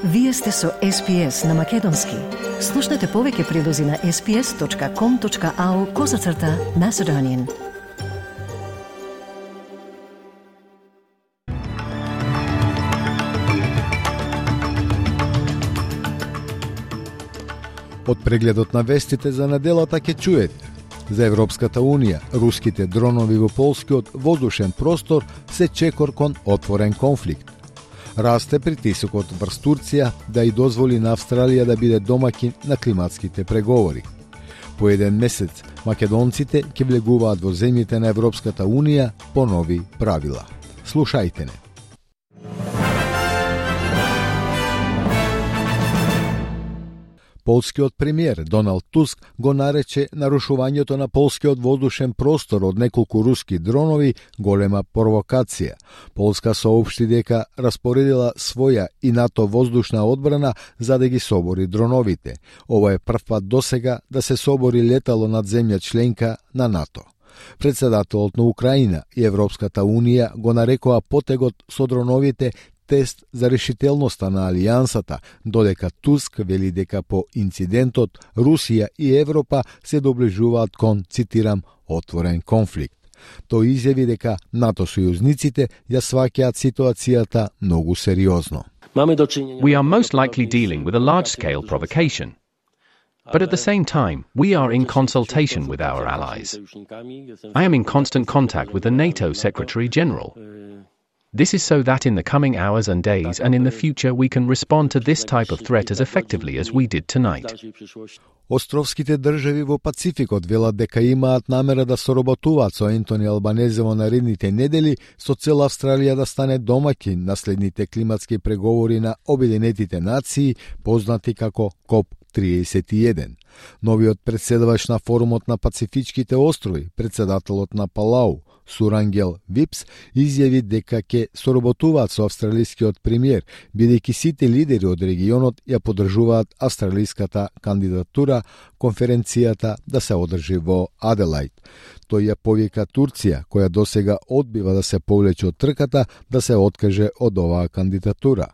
Вие сте со SPS на Македонски. Слушнете повеќе прилози на sps.com.au/Macedonian. Од прегледот на вестите за неделата ќе чуете: за Европската Унија, руските дронови во полскиот воздушен простор се чекор кон отворен конфликт. Расте притисокот врз Турција да и дозволи на Австралија да биде домаќин на климатските преговори. По еден месец македонците ќе влегуваат во земјите на Европската Унија по нови правила. Слушајте не. Полскиот премиер Доналд Туск го нарече нарушувањето на полскиот воздушен простор од неколку руски дронови голема провокација. Полска соопшти дека распоредила своја и НАТО воздушна одбрана за да ги собори дроновите. Ова е прв пат досега да се собори летало над земја членка на НАТО. Председателот на Украина и Европската Унија го нарекоа потегот со дроновите тест за решителноста на алијансата, додека Туск вели дека по инцидентот Русија и Европа се доближуваат кон, цитирам, отворен конфликт. Тој изјави дека НАТО сојузниците ја сваќаат ситуацијата многу сериозно. We are most likely dealing with a large-scale provocation. But at the same time, we are in consultation with our allies. I am in constant contact with the NATO Secretary General. This is so that in the coming hours and days and in the future we can respond to this type of threat as effectively as we did tonight. Островските држави во Пацификот велат дека имаат намера да соработуваат со Ентони Албанезе во наредните недели со цел Австралија да стане домаќин на следните климатски преговори на Обединетите нации, познати како КОП-31. Новиот председавач на форумот на Пацифичките острови, председателот на Палау, Сурангел Випс, изјави дека ќе соработуваат со австралискиот премиер, бидејќи сите лидери од регионот ја поддржуваат австралиската кандидатура конференцијата да се одржи во Аделајд. Тој ја повика Турција, која досега одбива да се повлече од трката, да се откаже од оваа кандидатура.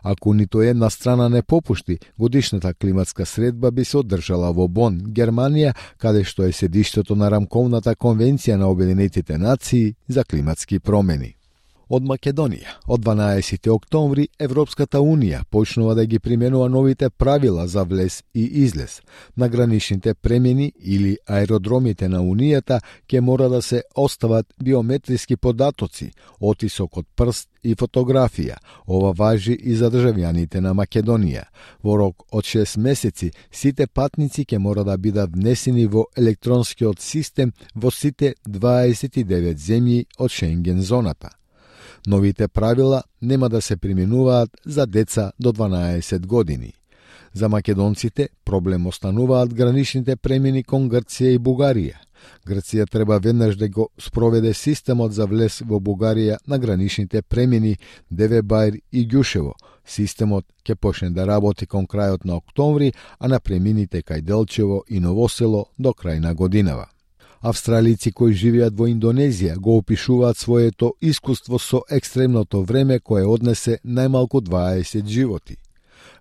Ако ниту една страна не попушти, годишната климатска средба би се одржала во Бон, Германија, каде што е седиштето на рамковната конвенција на Обединетите нации за климатски промени. Од Македонија, од 12 октомври, Европската Унија почнува да ги применува новите правила за влез и излез. На граничните премини или аеродромите на Унијата ќе мора да се остават биометриски податоци, отисок од прст и фотографија. Ова важи и за државјаните на Македонија. Во рок од 6 месеци, сите патници ќе мора да бидат внесени во електронскиот систем во сите 29 земји од Шенген зоната. Новите правила нема да се применуваат за деца до 12 години. За македонците проблем остануваат граничните премини кон Грција и Бугарија. Грција треба веднаш да го спроведе системот за влез во Бугарија на граничните премини Девебајр и Ѓушево. Системот ќе почне да работи кон крајот на октомври, а на премините кај Делчево и Новосело до крај на годинава. Австралици кои живеат во Индонезија го опишуваат своето искуство со екстремното време кое однесе најмалку 20 животи.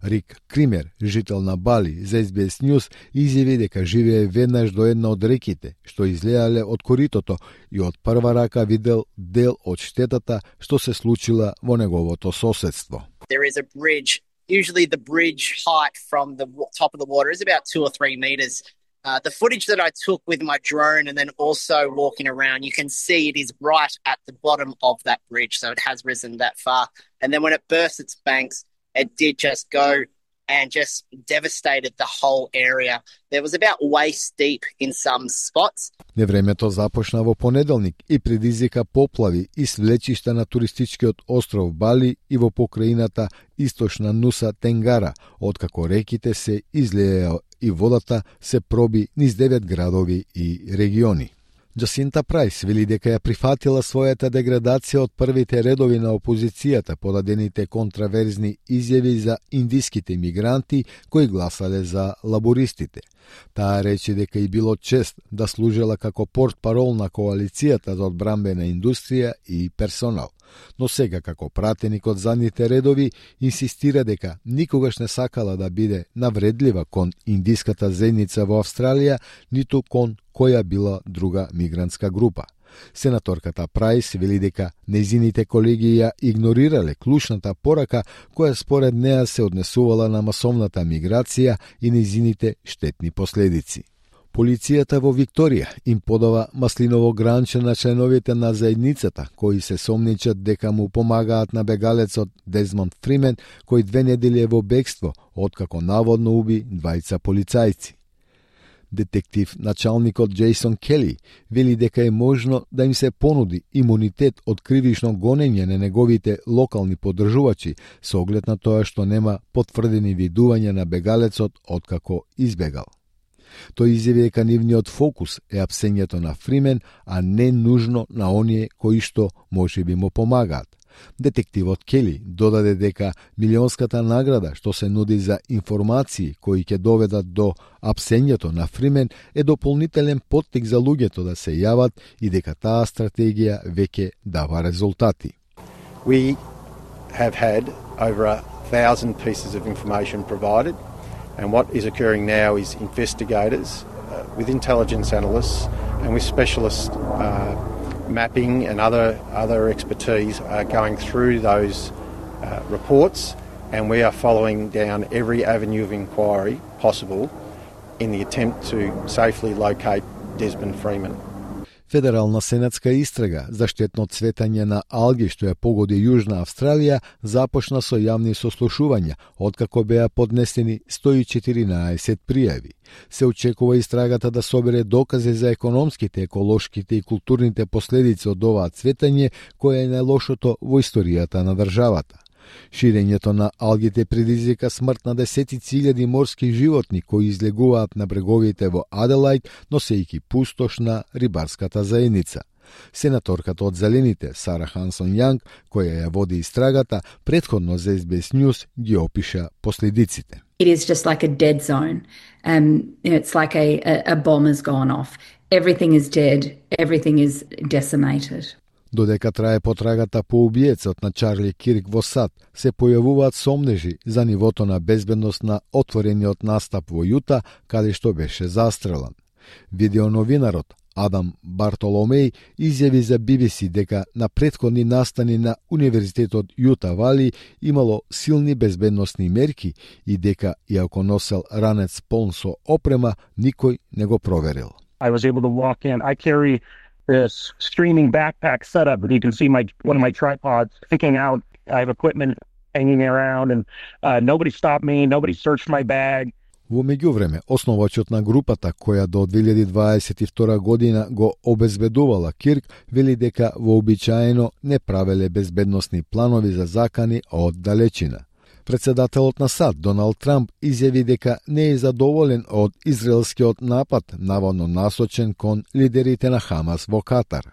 Рик Кример, жител на Бали, за SBS News, изјави дека живее веднаш до една од реките, што излеале од коритото и од прва рака видел дел од штетата што се случила во неговото соседство. There is a bridge. Usually the bridge height from the top of the water is about 2 or 3 meters. The footage that I took with my drone and then also walking around, you can see it is right at the bottom of that bridge, so it has risen that far. And then when it burst its banks, it did just go and just devastated the whole area. There was about waist deep in some spots. Невремето започна во понеделник и предизвика поплави и свлечишта на туристичкиот остров Бали и во покраината источна Нуса Тенгара, откако реките се излееа и водата се проби низ 9 градови и региони. Джасинта Прайс вели дека ја прифатила својата деградација од првите редови на опозицијата подадените контраверзни изјави за индиските мигранти кои гласале за лабористите. Таа рече дека и било чест да служела како портпарол на коалицијата за одбрамбена индустрија и персонал. Но сега како пратеник од задните редови инсистира дека никогаш не сакала да биде навредлива кон индиската заедница во Австралија, ниту кон која била друга мигрантска група. Сенаторката Прайс вели дека нејзините колеги ја игнорирале клучната порака која според неа се однесувала на масовната миграција и нејзините штетни последици. Полицијата во Викторија им подава маслиново гранче на членовите на заедницата, кои се сомничат дека му помагаат на бегалецот Дезмонд Фримен, кој 2 недели е во бегство, откако наводно уби 2 полицајци. Детектив началникот Джейсон Кели вели дека е можно да им се понуди имунитет од кривично гонење на неговите локални поддржувачи со оглед на тоа што нема потврдени видувања на бегалецот откако избегал. Тој изјави дека нивниот фокус е апсењето на Фримен, а не нужно на оние кои што можеби му помагаат. Детективот Кели додаде дека милионската награда што се нуди за информации кои ќе доведат до апсењето на Фримен е дополнителен поттик за луѓето да се јават и дека таа стратегија веќе дава резултати. We have had over 1,000 pieces of information provided, and what is occurring now is investigators with intelligence analysts and with specialist mapping and other expertise are going through those reports, and we are following down every avenue of inquiry possible in the attempt to safely locate Desmond Freeman. Федерална сенатска истрага за штетно цветање на алги што ја погоди Јужна Австралија започна со јавни сослушувања, откако беа поднесени 114 пријави. Се очекува истрагата да собере докази за економските, еколошките и културните последици од оваа цветање, која е најлошото во историјата на државата. Ширењето на алгите предизвика смрт на десетици илјади морски животни кои излегуваат на бреговите во Аделајд, носејќи пустош на рибарската заедница. Сенаторката од Зелените, Сара Хансон Јанг, која ја води истрагата, претходно за SBS News ги опиша последиците. It is just like a dead zone. It's like a bomb has gone off. Everything is dead. Everything is decimated. Додека трае потрагата по убиецот на Чарли Кирк во САД, се појавуваат сомнежи за нивото на безбедност на отворениот настап во Јута, каде што беше застрелан. Видеоновинарот Адам Бартоломеј изјави за BBC дека на претходни настани на Универзитетот Јута Вали имало силни безбедносни мерки и дека, иако носел ранец полн со опрема, никој не го проверил. I was able to walk in. I carry this streaming backpack setup, but you can see one of my tripods sticking out. I have equipment hanging around, and nobody stopped me. Nobody searched my bag. Во меѓувреме, основачот на групата, која до 2022 година го обезбедувала Кирк, вели дека вообичаено не правеле безбедносни планови за закани од далечина. Председателот на САД, Доналд Трамп, изјави дека не е задоволен од израелскиот напад, наводно насочен кон лидерите на Хамас во Катар.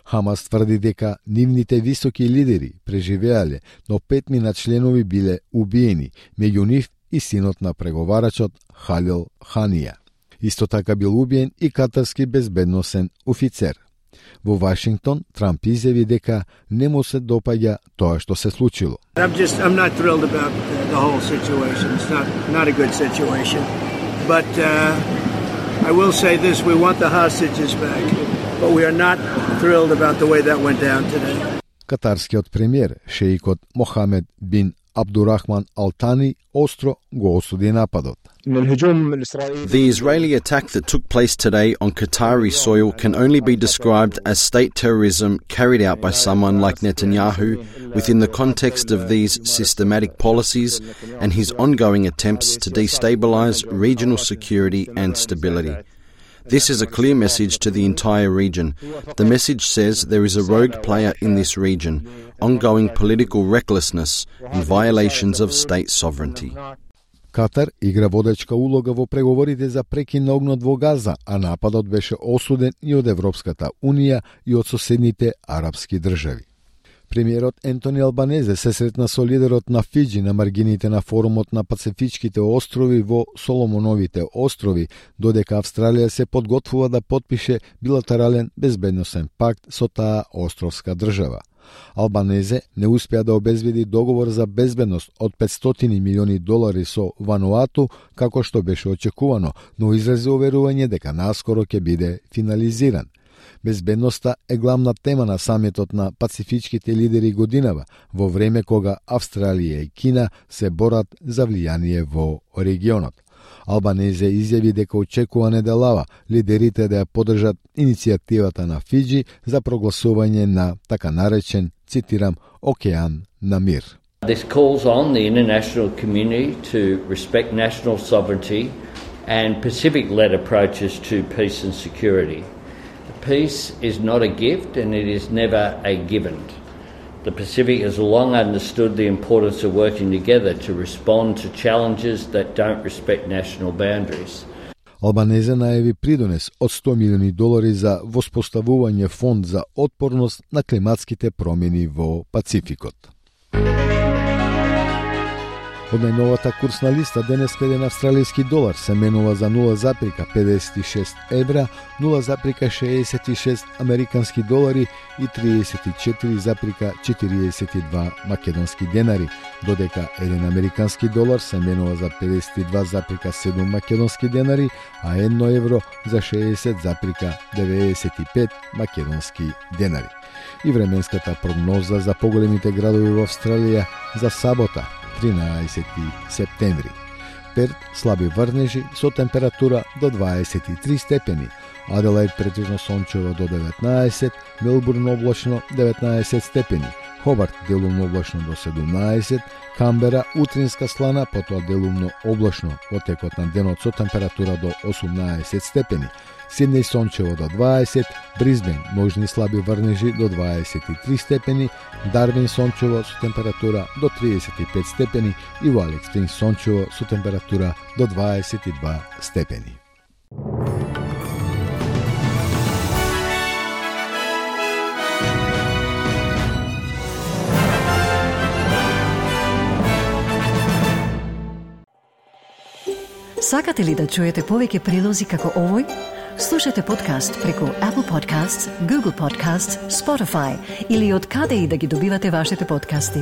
Хамас тврди дека нивните високи лидери преживеале, но 5 членови биле убиени, меѓу нив и синот на преговарачот Халил Ханија. Исто така бил убиен и катарски безбедносен офицер. Во Вашингтон, Трамп изјави дека не му се допаѓа тоа што се случило. I'm not thrilled about the whole situation. It's not a good situation. But I will say this, we want the hostages back, but we are not thrilled about the way that went down today. Катарскиот премиер, шеикот Мохамед бин Абдурахман Алтани, остро го осуди нападот. The Israeli attack that took place today on Qatari soil can only be described as state terrorism carried out by someone like Netanyahu within the context of these systematic policies and his ongoing attempts to destabilize regional security and stability. This is a clear message to the entire region. The message says there is a rogue player in this region, ongoing political recklessness and violations of state sovereignty. Катар игра водечка улога во преговорите за прекин на огнот во Газа, а нападот беше осуден и од Европската Унија и од соседните арапски држави. Премиерот Ентони Албанезе се сретна со лидерот на Фиџи на маргините на форумот на Пацифичките острови во Соломоновите острови, додека Австралија се подготвува да потпише билатерален безбедносен пакт со таа островска држава. Албанезе не успеа да обезбеди договор за безбедност од $500 милиони со Вануату, како што беше очекувано, но изрази уверување дека наскоро ќе биде финализиран. Безбедноста е главна тема на самитот на пацифичките лидери годинава, во време кога Австралија и Кина се борат за влијание во регионот. Албанезе изјави дека очекува неделава лидерите да ја поддржат иницијативата на Фиџи за прогласување на така наречен, цитирам, океан на мир. This calls on the international community to respect national sovereignty and Pacific-led approaches to peace and security. Peace is not a gift and it is never a given. The Pacific has long understood the importance of working together to respond to challenges that don't respect national boundaries. Албанезе најави придонес од $100 милиони за воспоставување фонд за отпорност на климатските промени во Пацификот. Од најновата курсна листа денеска еден австралиски долар се менува за 0,56 евра, 0,66 американски долари и 34,42 македонски денари, додека еден американски долар се менува за 52,7 македонски денари, а 1 евро за 60,95 македонски денари. И временската прогноза за поголемите градови во Австралија за сабота, 13 септември. Перт слаби врнежи со температура до 23 степени, Аделаид претежно сончево до 19, Мелбурн облачно 19 степени, Хобарт делумно облачно до 17, Камбера утринска слана, потоа делумно облачно во текот на денот со температура до 18 степени, Сиднеј сончево до 20, Бризбен можни слаби врнежи до 23 степени, Дарвин сончево со температура до 35 степени и во Алекс Спрингс сончево со температура до 22 степени. Сакате ли да чуете повеќе прилози како овој? Слушате подкаст преку Apple Podcasts, Google Podcasts, Spotify или од каде и да ги добивате вашите подкасти.